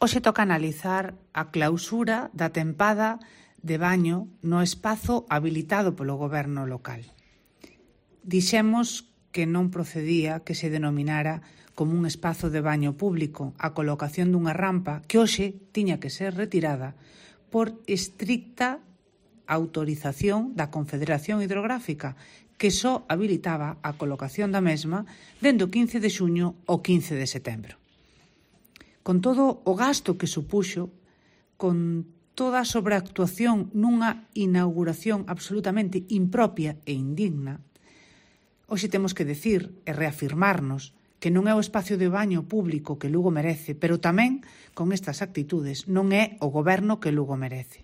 Hoxe toca analizar a clausura da tempada de baño no espazo habilitado polo goberno local. Dixemos que non procedía que se denominara como un espazo de baño público a colocación dunha rampa que hoxe tiña que ser retirada por estricta autorización da Confederación Hidrográfica, que só habilitaba a colocación da mesma dende o 15 de xuño ao 15 de setembro. Con todo o gasto que supuxo, con toda a sobreactuación nunha inauguración absolutamente impropia e indigna, hoxe temos que decir e reafirmarnos que non é o espacio de baño público que Lugo merece, pero tamén, con estas actitudes, non é o goberno que Lugo merece.